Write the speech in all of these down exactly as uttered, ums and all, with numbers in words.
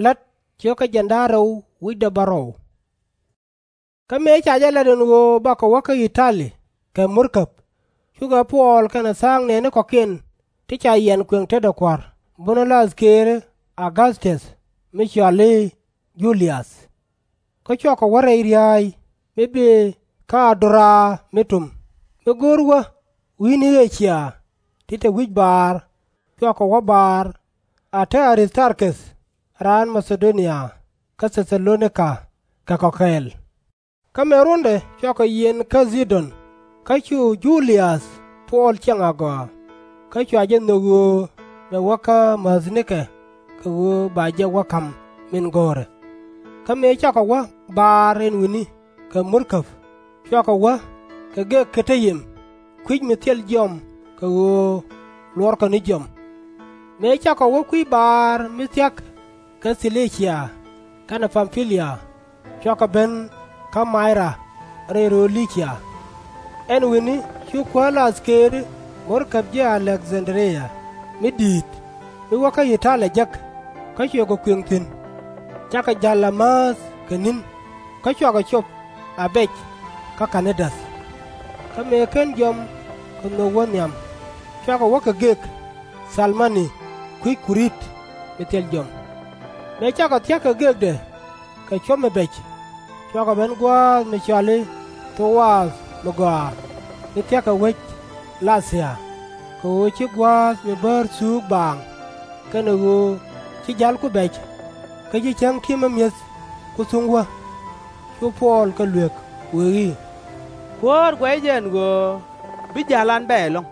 La̱t ciökä jiɛn da̱ŋ rɛw wi̱cdɛ bärɔw. Kä mëë ca jɛ lat ɛn ɣöö bakɔ wä kä I-ta-li kɛ murkäb, cukɛ Puɔl kɛnɛ tha̱a̱ŋ nɛɛni kɔ̱kiɛn ti ca yian kuëŋ tetdɛ Kua̱r, bunä la̱th këëri Auguthtɔth mi cɔal i̱ Ju-liäth. Kä cua kɔ wä rɛy ria̱a̱c mi bëë kä A-du-raa mi tum, mi go̱o̱r wä wi̱i̱ni Ɣë-cia, ti te wi̱c baar, cua kɔ wä baar, a te A-rith-tar-keth raan Ma-tha-do-nia kä Thɛ-tha-lo-ni-ka kɛ kɔ kɛɛl. Kä mëë ruɔ̱ndɛ cua kɔ yiɛn kä Thi-don, kä cu Ju-liäth Puɔl ciɛŋ agɔaa, kä cua jɛ nhök ɣöö bɛ wä kä mäthnikɛ kɛ ɣöö ba jɛ wä ka̱m min go̱o̱rɛ. Kä mëë cakɔ wä baar ɛn wi̱ni kɛ murkäb, cuakɔ wä kɛ gek Ki-ti-yim, kui̱c mi thil jiɔam kɛ ɣöö luɔrkɔ ni jiɔam. Mëë cakɔ wä kui̱ baar mi thia̱k kɛ Thi-li-cia kɛnɛ Pam-pi-lia, cuakɔ ben kä May-ra rɛy rööl Li-cia. Ɛn wi̱ni cu kuäär la̱th këëri murkäb ji̱ A-lek-dhan-dri-ya mi di̱i̱t, mi wä kä I-ta-li jek, kä cuɛ kɔ kuëŋ thi̱n. Cakɔ ja̱l a määth kɛ ni̱n, kä cuakɔ cop a bɛc kä Ka̱ni-däth. Kä mëë /ken jiɔam kɛ nhök wä nhiam, cuakɔ wä kɛ gek Thal-ma-ni kui̱c Ku-riit mi thil jiɔam. Mëë cakɔ thia̱k kɛ gekdɛ kɛ cuɔ̱p mi bɛc, cuakɔ ben gua̱a̱th mi cɔal i̱ Tho-ath mi gɔaa, mi thia̱k kɛ wec La̱thia, kɛ ɣöö ci gua̱a̱th mi bäär thuuk baaŋ, kɛnɛ ɣöö ci ja̱lku bɛc, kä ci cäŋ ti̱mä mi̱eth ku thuŋ wä. Cu Puɔl kɛ luëk, wëë i̱, Kuäär guɛcɛ jɛ ɛn ɣöö bi ja̱lan bɛ ɛlɔ̱ŋ,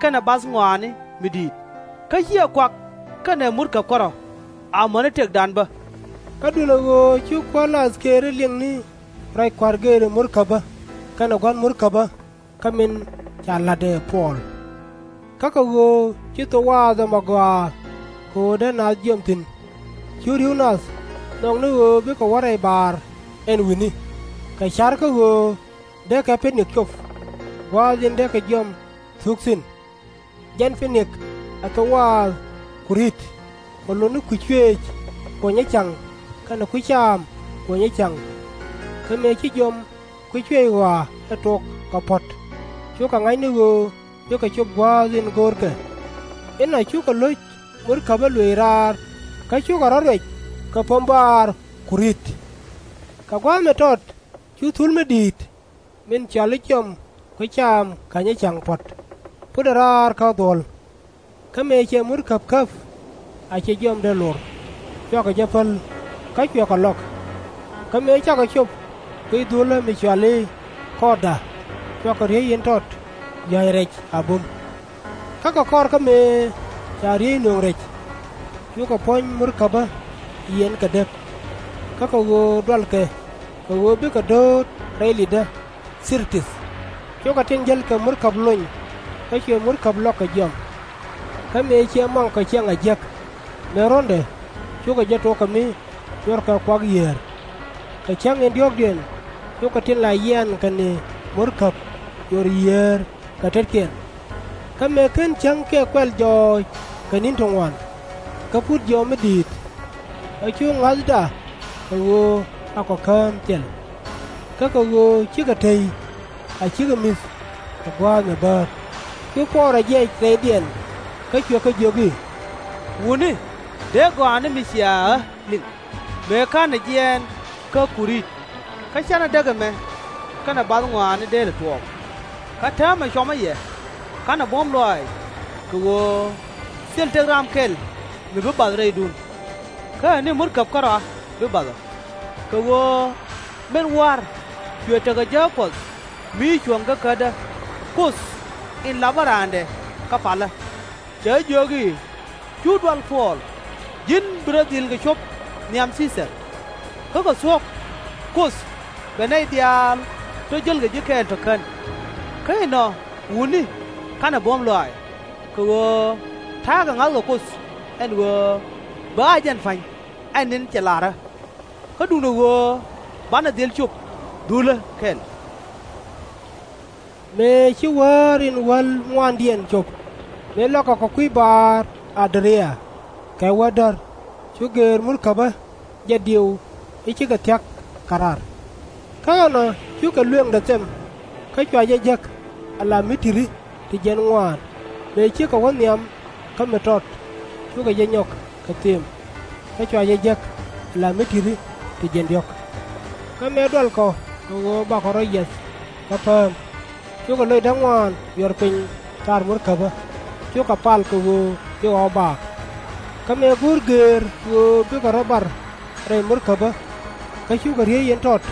kɛnɛ bath ŋɔaani mi di̱i̱t, kä /ciɛ kuak kɛnɛ murkäb kärɔ̱, amäni tëkdan bä. Kä duundɛ ɣöö cu kuäär la̱th këëri liŋni ruac Kua̱r gëëri murkäbä kɛnɛ gua̱n murkäbä kä min ca la̱t ɛ Puɔl. Kä kɛ ɣöö ci Tho-ath ɔm agɔaa kɛ ɣöö dee naath jiɔam thi̱n, cu ri̱w nath nhɔk ni ɣöö bikɛ wä rɛy baar ɛn wi̱ni, kɛ ca̱r kä ɣöö deekɛ Pi-nik cop, gua̱a̱th in deekɛ jiɔam thuk thi̱n. Jɛn Pi-nik ɛ Tho-ath Ku-riit, kɛ lot ni kui̱c cuëëc kuɔ̱nyä ca̱ŋ kɛnɛ kui̱ caam kuɔ̱nyä ca̱ŋ. Kä mëë ci jiɔam kui̱c cuëëc ɣɔaa ɛ tok kɛ puɔ̱t, cukɛ ŋa̱c ni ɣöö bikɛ cop gua̱a̱th in go̱o̱rkɛ. Inɔ cukɛ lo̱c murkäbä luëc raar, kä cukɛ rɔ̱ ruɛc kɛ Pam-baar Ku-riit. Kɛ gua̱a̱th mi tɔt cu thul mi di̱i̱t min cɔal i̱ Jiɔam Kui̱ Caam Känyä Ca̱ŋ Puɔ̱t putdɛ raar kä dhuɔ̱l. Kä mëë cɛ murkäb käp, a cɛ jiɔamdɛ lor, cuakɔ jɛ päl, kä cuɛ kɔ lɔk. Kä mëë cakɔ cop kui̱ dhulä mi cɔal i̱ Kɔɔda, cuakɔ riey in tɔt ya̱ny rɛc a bum. Kä kɛ kɔr kä mëë ca riey nööŋ rɛc, cukɛ puɔ̱ny murkäbä yiɛn kɛ dep, kä kɛ ɣöö dualkɛ kɛ ɣöö bikɛ dööt rɛy li̱tdä Thir-tith, cukɛ tin jäl kɛ murkäb lony, kä cuɛ murkäb lɔk kɛ jiɔam. Kä mëë ciɛ muaŋkɔ ciɛŋ a jiäk, mëë ruɔ̱ndɛ cukɛ jɛ tok kɛ mi cuɔrkɛ kuak yiëër. Kɛ cäŋ in diɔ̱ɔ̱kdiɛn cukɛ tin la yiankɛ ni murkäb cuɔr yiëër kɛ tetkiɛn. Kä mëë /ken cäŋkiɛn kuɛl jɔɔc kɛ ni̱n ti ŋuan, kä put jiɔam mi di̱i̱t, ɛ cu ŋa̱thda kɛ ɣöö akɔ kään thil. Kä kɛ ɣöö cikɛ tey, a cikɛ mi̱th kɛ gua̱a̱th mi bäär, cu Puɔl rɔ jiɛc rɛydiɛn, kä cuɛ kɛ jiök i̱, Wutni, dee gɔaa ni mi cia ɣä liŋ, mëë /ka̱nɛ jiɛɛn kä Ku-riit, kä /canɛ däk ɛmɛ kɛnɛ bath ŋɔaani dee lɛ tuɔɔk. Kä täämɛ cuɔmä yɛ, /ka̱nɛ buɔ̱m lɔaac, kɛ ɣöö thil tëk ram kɛl mi bi bath rɛydun. Kä ɛ ni murkäb kärɔa bi bath ɔ, kɛ ɣöö min wa̱r cuɛ tekɛ jääk Kuɔth mi cuɔ̱ŋ kä kätdä, Kuoth in lapä raandɛ kä palä, cɛ jiök i̱, Cu dual Puɔl, ji̱n bi rɔ dhil kɛ cop nhiam Thii-thar. Kä kɛ thuɔ̱k Kuoth bɛ nɛy diaal tɔ̱ jälkɛ ji̱ kɛɛl tɔ̱ kän. Kä inɔ, wutni, /ka̱nɛ buɔ̱m lɔaac, kɛ ɣöö ta̱a̱ kɛ ŋa̱thkɛ Kuoth ɛn ɣöö bɛ ɣa̱c jɛn pa̱ny ɛ ni̱n cɛ la̱rä. Kä duundɛ ɣöö banɛ dhil cop dhulä kɛl. Mëë ci wäär in wäl ŋuaandiɛn cop, mëë lɔkɛ kɛ kui̱ baar Adria kɛ wädär, cu gëër murkäbä jɛ diëw i̱ cikɛ thia̱k kɛ raar. Kä ɛnɔ cukɛ luëŋdɛ them, kä cua jɛ jäk ala mi ti̱ti̱ ti jiɛn ŋuan, mëë cikɛ wä nhiam kä mi tɔt, cukɛ jɛ nyɔk kɛ them, kä cua jɛ jäk ala mi ti̱ti̱ ti jiɛn diɔ̱k. Kä mëë dualkɔ kɛ ɣöö bakɔ rɔ yiɛth kɛ pääm, cukɛ loc da̱ŋ ŋuan yuɔr piny thaar murkäbä, cukɛ pal kɛ ɣöö bi ɣɔw baak. Kä mëë go̱o̱r gëër ɣöö bikɛ rɔ bar rɛy murkäbä, kä cukɛ riey in tɔt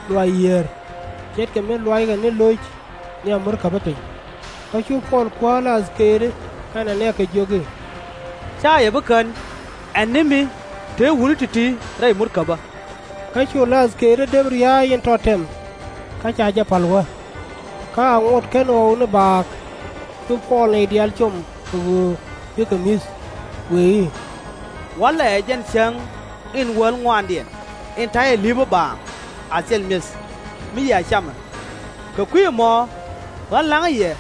luaac yiëër, ce̱tkɛ mi luackɛ ni lo̱c nhiam murkäbä piny. Kä cu Puɔl kuäär la athkëëri kɛnɛ nɛɛkɛ jiök i̱, Ca yɛ bi kän, ɛ ni mi te wutni ti̱ti̱ rɛy murkäbä. Kä cu la athkëëri dep ria̱a̱c in tɔt tɛm, kä ca jɛ pa̱l wä. Kä a ŋot /ken ɣɔw ni baak, cu Puɔl nɛy diaal com kɛ ɣöö bikɛ mi̱th, wëë i̱, Walɛ ɛ jɛn cäŋ in wäl ŋuaandiɛn in ta̱yɛ li̱pä baaŋ a thil mi̱eth mi yɛ a camɛ. Kɛ kui̱ ɛmɔ ɣän la̱ŋä yɛ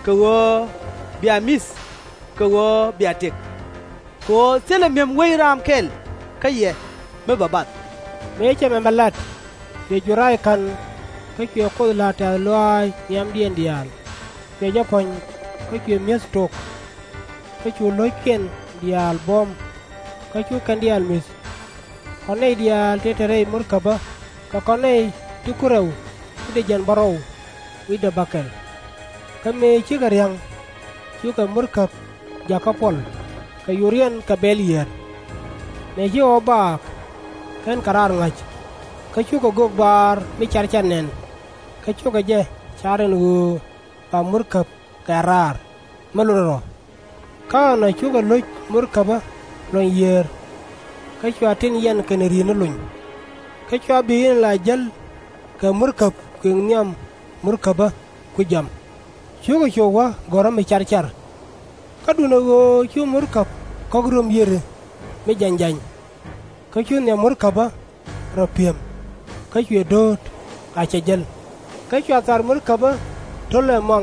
kɛ ɣöö bia mi̱th kɛ ɣöö bia tëk. Kɛ ɣöö thilɛ mi̱em wec raam kɛl kä yɛ mi bɛ bath. Mëë cɛ mɛmɛ lat, cuɛ jur rac ka̱n, kä cuɛ Kuoth la̱r tɛ̈th lɔaac nhiamdiɛn diaal. Cuɛ jɛ puɔ̱ny, kä cuɛ mi̱eth tok. Kä cu lo̱ckiɛn diaal buɔ̱m, kä cu kɛn diaal mi̱th. Kɔn nɛy diaal tëë te rɛy murkäbä, kɛ kɔn nɛy ti ku rɛw wi̱cdɛ jiɛn bärɔw wi̱cdɛ bäkɛl. Kä mëë cikɛ ria̱ŋ, cukɛ murkäb jäk kä Puɔl, kɛ yuriɛn kɛ bɛl yiëër. Mëë ci ɣɔw baak, /kenkɛ raar ŋa̱c, kä cukɛ gök baar mi carcar nɛn, kä cukɛ jɛ car ɛn ɣöö ba murkäb kɛ raar mi lotdɛ rɔ. Kä ɛnɔ cukɛ lo̱c murkäbä luɔ̱ny yiëër, kä cua tin yɛn kɛnɛ ri̱i̱t ni lony. Kä cua bi̱i̱ni la jäl kɛ murkäb kuëŋ nhiam murkäbä ku jiam, cukɛ cop wä gɔ̱rä mi carcar. Kä duundɛ ɣöö cu murkäb kɔ̱k röm yiëri mi jany jany, kä cu nhiam murkäbä rɔ pi̱em, kä cuɛ do̱o̱t a cɛ jäl. Kä cua thaar murkäbä to̱l ɛmɔ,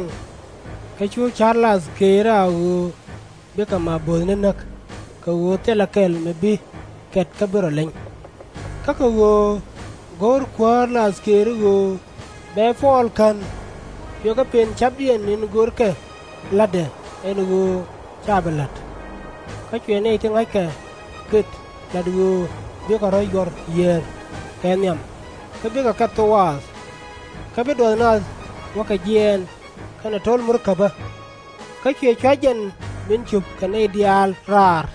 kä cu ca̱r la athkëëri a ɣöö bikɛ ma bo̱o̱thni näk, kɛ ɣöö thilɛ kɛl mi bi kɛt kä bi rɔ leny. Kä kɛ ɣöö go̱o̱r kuäär la athkëëri ɣöö bɛ Puɔl kän, cuɛ kɛ pen ca̱pdiɛn in görkɛ la̱tdɛ ɛn ɣöö /ca bi la̱t. Kä cuɛ nɛy ti ŋa̱ckɛ gët la̱t ɣöö bikɛ rɔ̱ yuɔr yiëër kɛ nhiam, kä bikɛ kɛ thok waath, kä bi duɔth nath wä kɛ jiɛɛn kɛnɛ to̱l murkäbä. Kä cuɛ cua̱c jɛn min cop kɛ nɛy diaal raar